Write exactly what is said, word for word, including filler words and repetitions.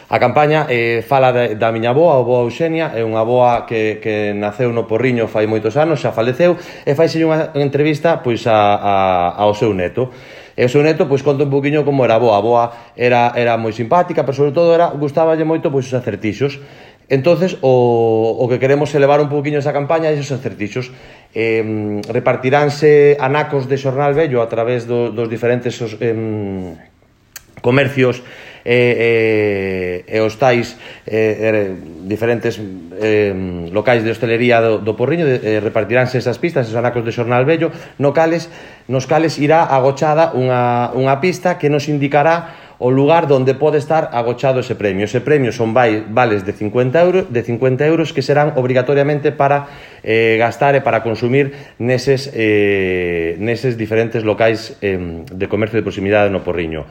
A campaña eh, fala de, da miña avoa, a avoa Eugenia, é unha avoa que, que naceu no Porriño fai moitos anos, xa faleceu, e faise unha entrevista pois a, a, ao seu neto. E o seu neto pois conta un poquinho como era a avoa. A avoa era, era moi simpática, pero sobre todo era, gustaballe moito pois os acertixos. Entonces o, o que queremos é levar un poquinho esa campaña a esos acertixos. Eh, repartiránse anacos de xornal vello a través do, dos diferentes os, eh, comercios e, e, e os tais e, diferentes e, locais de hostelería do, do Porriño, de, e, repartiránse esas pistas, esos anacos de xornal vello, no cales, nos cales irá agochada unha, unha pista que nos indicará o lugar donde pode estar agochado ese premio. Ese premio son vales de cincuenta euros, de cincuenta euros que serán obrigatoriamente para eh, gastar e para consumir neses, eh, neses diferentes locais eh, de comercio de proximidade no Porriño.